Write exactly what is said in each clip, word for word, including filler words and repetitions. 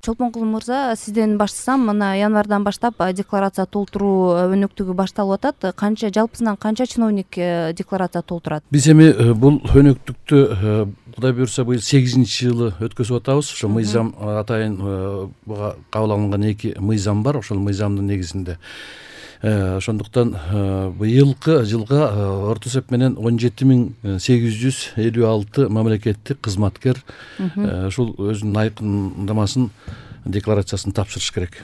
Чолпонкул мырза, сизден баштасам, мына январдан баштап декларация толтуруу өнөктүгү башталып атат. Канча жалпысынан канча чиновник декларация толтурат? Биз эми бул өнөктүктү Кудай буюрса быйыл сегизинчи жылы өткөзүп атабыз. Ошо мыйзам атайын буга кабыл алынган эки мыйзам бар. Ошол мыйзамдын негизинде ошондуктан быйылкы жылга орто эсеп менен он жети миң сегиз жүз элүү алты мамлекеттик кызматкер ушул өзүнүн айкындамасын, декларациясын тапшырыш керек.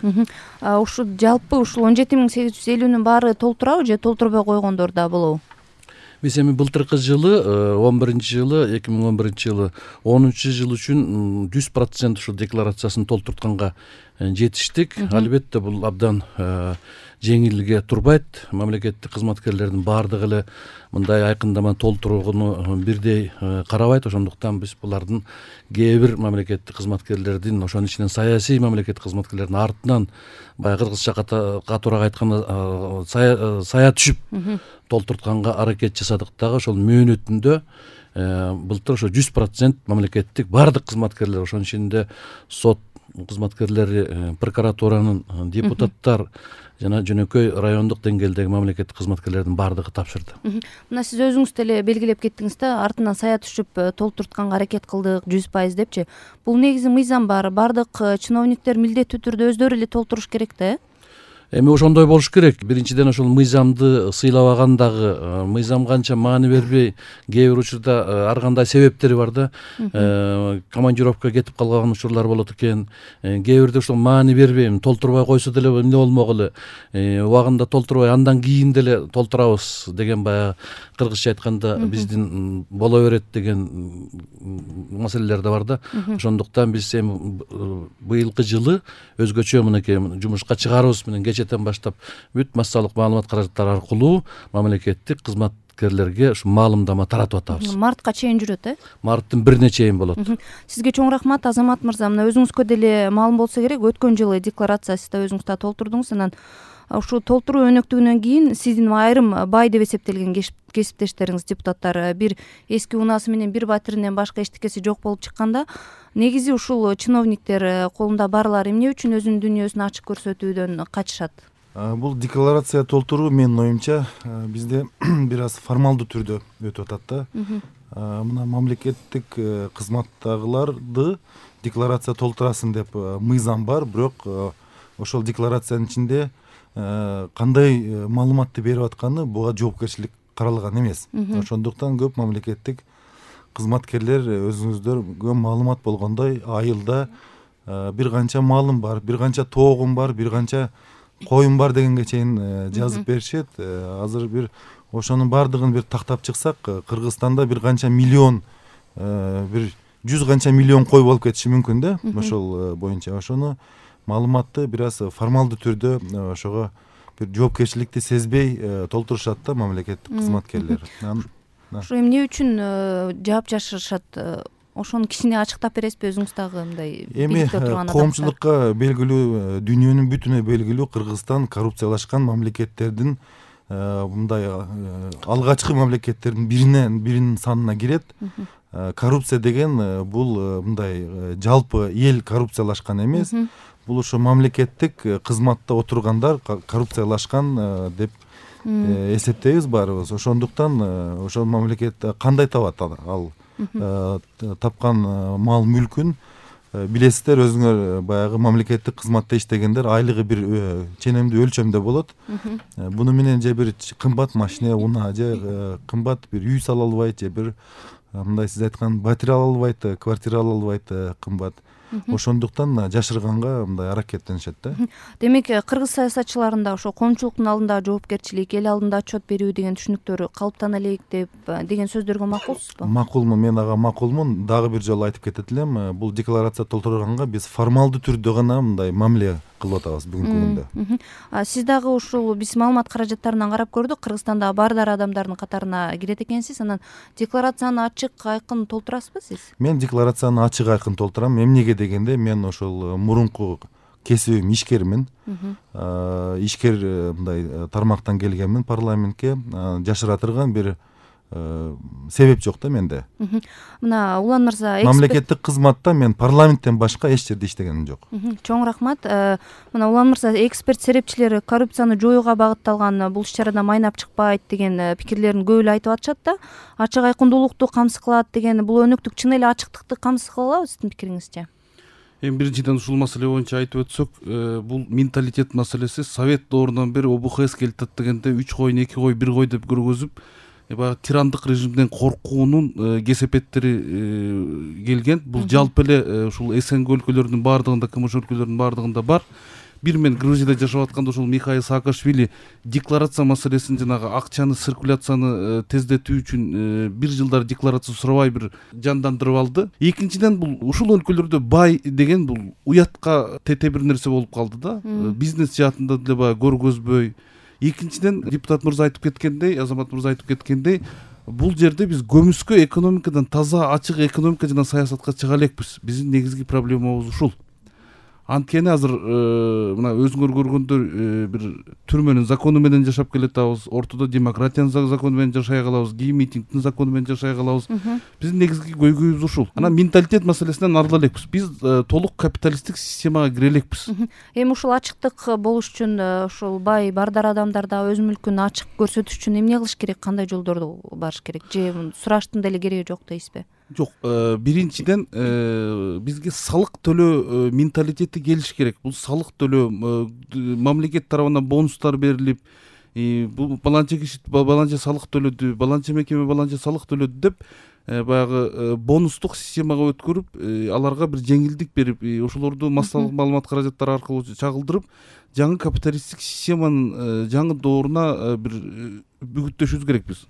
Ушул жалпы ушул он жети миң сегиз жүз элүүнүн баары толтурабы же толтурбой койгондор да болобу? Биз эми былтыркы жылы он биринчи жылы эки миң он биринчи жылы онунчу жыл үчүн жүз процент ушул декларациясын толтуртканга жетиштик. Албетте бул абдан жеңилге турбайт. Мамлекеттик кызматкерлердин баардыгы эле мындай айкындама толтурууну бирдей карабайт. Ошондуктан биз булардын кээ бир мамлекеттик кызматкерлердин, ошонун ичинен саясий мамлекеттик кызматкерлердин артынан баягы кыргызча катуураак айтканда сая түшүп толтуртканга аракет жасадык дагы. Ошол мөөнөтүндө былтыр ошо жүз процент мамлекеттик баардык кызматкерлер, ошонун ичинде сот кызматкерлери, прокуратуранын, депутаттар жана жөнөкөй райондук деңгээлдеги мамлекеттик кызматкерлердин баардыгы тапшырды. Мына сиз өзүңүз деле белгилеп кеттиңиз да, артынан сая түшүп толтуртканга аракет кылдык жүз пайыз депчи. Бул негизи мыйзам бар. Баардык чиновниктер милдеттүү түрдө өздөрү эле толтуруш керек да, э? Эми ошондой болуш керек. Биринчиден ошол мыйзамды сыйлабаган дагы, мыйзам канча маани бербей, кээ бир учурда ар кандай себептери бар да. Командировка кетип калган учурлар болот экен. Кээ бирде ошол маани бербей, толтурбай койсо деле эмне болмок эле, убагында толтурбай андан кийин деле толтурабыз деген баягы кыргызча айтканда биздин боло берет деген маселелер да бар да. Ошондуктан биз эми быйылкы жылы өзгөчө мынакей жумушка чыгарыбыз менен кечэтен баштап бүт массалык маалымат каражаттары аркылуу мамлекеттик кызматкерлерге ушу маалымдама таратып атабыз. Мартка чейин жүрөт, э? Марттын бирине чейин болот. Сизге чоң рахмат, Азамат мырза. Мына өзүңүзгө деле маалым болсо керек, өткөн жылы декларация сиз да өзүңүз да толтурдуңуз. Анан ушул толтуруу өнөктүгүнөн кийин сиздин айрым бай деп эсептелген кесиптештериңиз, депутаттар, бир эски унаасы менен бир батиринен башка эчтекеси жок болуп чыкканда, негизи ушул чиновниктер колунда барлар эмне үчүн өзүнүн дүйнөсүн ачык көрсөтүүдөн качышат? Бул декларация толтуруу менин оюмча бизде бир аз формалдуу түрдө өтүп атат да. Мына мамлекеттик кызматтагыларды декларация толтурасын деп мыйзам бар, бирок ошол декларациянын ичинде кандай маалыматты берип атканы буга жоопкерчилик каралган эмес. Ошондуктан көп мамлекеттик кызматкерлер өзүңүздөргө маалымат болгондой айылда бир канча малым бар, бир канча тоогум бар, бир канча коюм бар дегенге чейин жазып беришет. Азыр бир ошонун баардыгын бир тактап чыксак, Кыргызстанда бир канча миллион, бир жүз канча миллион кой болуп кетиши мүмкүн да. Ошол боюнча ошону маалыматты бир аз формалдуу түрдө ошого бир жоопкерчиликти сезбей толтурушат да мамлекеттик кызматкерлер. Ошо эмне үчүн жаап жашырышат? Ошону кичине ачыктап бересизби өзүңүз дагы мындай биликте турган адамдар? Эми коомчулукка белгилүү, дүйнөнүн бүтүнө белгилүү, Кыргызстан коррупциялашкан мамлекеттердин мындай алгачкы мамлекеттердин биринен биринин санына кирет. Коррупция деген бул мындай жалпы эл коррупциялашкан эмес. Бул ошо мамлекеттик кызматта отургандар коррупциялашкан деп эсептейбиз баарыбыз. Ошондуктан ошол мамлекет кандай табат ал тапкан мал мүлкүн? Билесиздер, өзүңөр баягы мамлекеттик кызматта иштегендер айлыгы бир ченемдүү өлчөмдө болот. Буну менен же бир кымбат машина, унаа, же кымбат бир үй сала албайт, же бир мындай сиз айткан батир ала албайт, квартира ала албайт, кымбат. Ошондуктан жашырганга мындай аракеттенишет да. Демек, кыргыз саясатчыларында ошо коомчулуктун алдында жоопкерчилик, эл алдында отчет берүү деген түшүнүктөр калыптана элек деп деген сөздөргө макулсузбу? Макулмун, мен ага макулмун. Дагы бир жолу айтып кетет элем, бул декларация толтурганга биз формалдуу түрдө гана мындай мамиле кылып атабыз бүгүнкү күндө. Сиз дагы ушул биз маалымат каражаттарынан карап көрдүк, Кыргызстанда баардар адамдардын катарына кирет экенсиз. Анан декларацияны ачык, айкын толтурасызбы сиз? Мен декларацияны ачык, айкын толтурам. Эмнеге дегенде, мен ошол мурунку кесибим ишкермин. Ишкер мындай тармактан келгенмин парламентке. Жашыра турган бир себеп жок да менде. Мына Улан мырза, мамлекеттик кызматта мен парламенттен башка эч жерде иштегеним жок. Чоң рахмат. Мына Улан мырза, эксперт серепчилер коррупцияны жоюуга багытталган бул иш-чарада майнап чыкпайт деген пикирлерин көп эле айтып атышат да. Ачык айкындуулукту камсыз кылат деген бул өнөктүк чын эле ачыктыкты камсыз кылабы сиздин пикириңизче? Эми биринчиден ушул маселе боюнча айтып өтсөк, бул менталитет маселеси Совет доорунан бери О Б Х С келтат дегенде үч койун эки кой бир кой деп көргөзүп, баягы тирандык режимден коркуунун кесепеттери келген. Бул жалпы эле ушул С Н Г өлкөлөрүнүн баардыгында, К М Ш өлкөлөрүнүн баардыгында бар. Бир мен Грузияда жашап атканда ушул Михаил Саакашвили декларация маселесин, жанагы акчаны циркуляцияны тездетүү үчүн бир жылдар декларация сурабай бир жандандырып алды. Экинчиден, бул ушул өлкөлөрдө бай деген бул уятка тете бир нерсе болуп калды да. Бизнес жаатында деле баягы көргөзбөй. Экинчиден, депутат мырза айтып кеткендей, Азамат мырза айтып кеткендей, бул жерде биз көмүскө экономикадан, таза ачык экономика жана саясатка чыга элекпиз. Биздин негизги проблемабыз ушул. Анткени азыр мына өзүңөр көргөндөр бир түрмөнүн закону менен жашап келатабыз, ортодо демократиянын закону менен жашай калабыз, кийин митингдин закону менен жашай калабыз. Биздин негизги көйгөйүбүз ушул. Анан менталитет маселесинен арыла элекпиз. Биз толук капиталисттик системага кире элекпиз. Эми ушул ачыктык болуш үчүн, ушул бай бардар адамдар да өз мүлкүн ачык көрсөтүш үчүн эмне кылыш керек, кандай жолдорду барыш керек? Же сураштын деле кереги жок дейсизби? Жок, биринчиден бизге салык төлөө менталитети келиш керек. Бул салык төлөө мамлекет тарабынан бонустар берилип, бул баланча киши баланча салык төлөдү, баланча мекеме баланча салык төлөдү деп баягы бонустук системага өткөрүп, аларга бир жеңилдик берип, ошолорду массалык маалымат каражаттары аркылуу чагылдырып, жаңы капиталисттик системанын жаңы дооруна бир бүгүттөшүбүз керекпиз.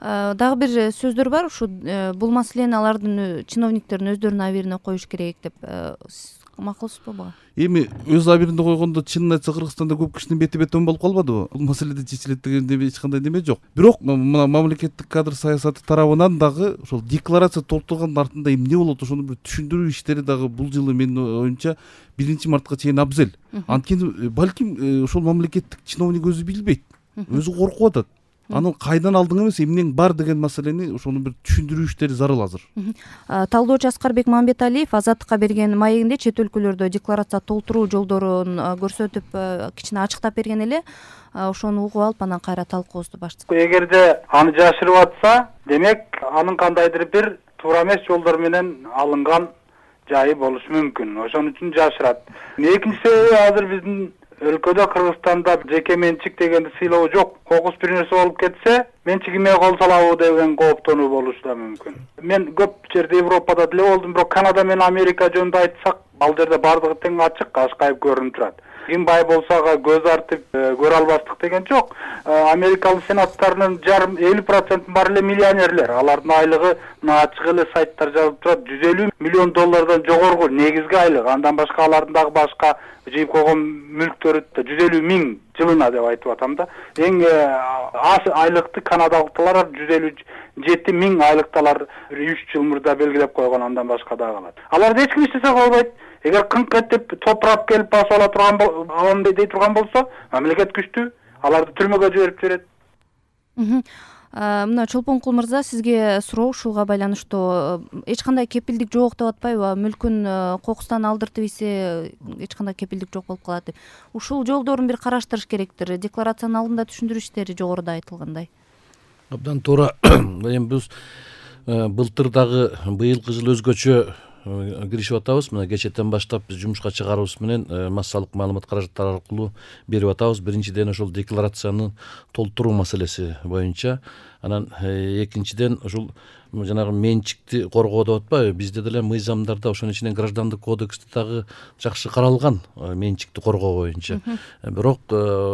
Дагы бир сөздөр бар, ушу бул маселени алардын чиновниктердин өздөрүнүн абийирине коюш керек деп. Макулсузбу буга? Эми өз абийирине койгондо, чынын айтса, Кыргызстанда көп кишинин бети бетон болуп калбадыбы? Бул маселеде чечилет дегенде эч кандай неме жок. Бирок мына мамлекеттик кадр саясаты тарабынан дагы ошол декларация толтургандын артында эмне болот, ошону бир түшүндүрүү иштери дагы бул жылы менин оюмча биринчи мартка чейин абзел. Анткени балким ошол мамлекеттик чиновник өзү билбейт, өзү коркуп атат. Анын кайдан алдың эмес, эмнең бар деген маселени ошону бир түшүндүрүү иштери зарыл азыр. Талдоочу Аскарбек Мамбеталиев Азаттыкка берген маегинде чет өлкөлөрдө декларация толтуруу жолдорун көрсөтүп, кичине ачыктап берген эле. Ошону угуп алып, анан кайра талкуубузду баштасак. Эгерде аны жашырып атса, демек анын кандайдыр бир туура эмес жолдор менен алынган жайы болушу мүмкүн. Ошон үчүн жашырат. Экинчи себеби, азыр биздин өлкөдө, Кыргызстанда жеке менчик дегенди сыйлоо жок. Кокус бир нерсе болуп кетсе, менчигиме кол салабы деген кооптонуу болушу да мүмкүн. Мен көп жерде Европада деле болдум, бирок Канада менен Америка жөнүндө айтсак, ал жерде бардыгы тең ачык, ашкайып көрүнүп турат. Ким бай болсо көз артып көрө албастык деген жок. Америкалык сенаттарынын жарым элүү проценти бар эле миллионерлер. Алардын айлыгы мына ачык эле сайттар жазып турат, жүз элүү миллион доллардан жогорку негизги айлык. Андан башка алардын дагы башка жыйып койгон мүлктөрү жүз элүү миң жылына деп айтып атам да. Эң аз айлыкты канадалыктар жүз элүү жети миң айлыкталар үч жыл мурда белгилеп койгон, андан башка дагы калат. Аларды эч ким иштесе болбойт. Эгер кыңк этип топурап келип басып ала турган алам дей турган болсо, мамлекет күчтүү, аларды түрмөгө жиберип жиберет. Мына Чолпонкул мырза, сизге суроо ушуга байланыштуу. Эч кандай кепилдик жок деп атпайбы? Мүлкүн кокустан алдыртып ийсе, эч кандай кепилдик жок болуп калат деп. Ушул жолдорун бир караштырыш керектир. Декларациянын алдында түшүндүрүү иштери жогоруда айтылгандай. Абдан туура. Эми биз былтыр дагы быйылкы жыл өзгөчө киришип атабыз. Мына кечэтен баштап биз жумушка чыгарыбыз менен массалык маалымат каражаттары аркылуу берип атабыз. Биринчиден ошол декларацияны толтуруу маселеси боюнча, анан экинчиден ушул жанагы менчикти коргоо деп атпайбы? Бизде деле мыйзамдарда, ошонун ичинен граждандык кодексте дагы жакшы каралган менчикти коргоо боюнча. Бирок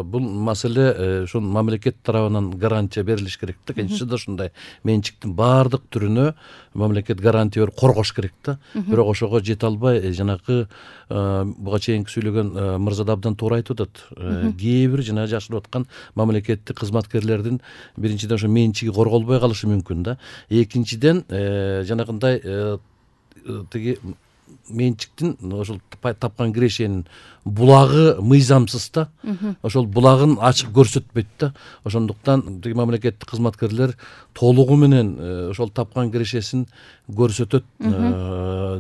бул маселе ошол мамлекет тарабынан гарантия берилиш керек да. Кенчеси да ушундай менчиктин баардык түрүнө мамлекет гарантия берип коргош керек да. Бирок ошого жете албай, жанагы буга чейинки сүйлөгөн мырза да абдан туура айтып атат. Кээ бир жана жашырып аткан мамлекеттик кызматкерлердин биринчиден ошо менчиги корголбой калышы мүмкүн да. Экинчиден жанагындай тиги менчиктин ошол тапкан кирешенин булагы мыйзамсыз да, ошол булагын ачык көрсөтпөйт да. Ошондуктан тиги мамлекеттик кызматкерлер толугу менен ошол тапкан кирешесин көрсөтөт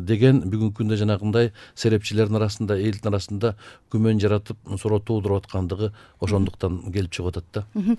деген бүгүнкү күндө жанагындай серепчилердин арасында, элдин арасында күмөн жаратып суроо туудуруп аткандыгы ошондуктан келип чыгып атат да.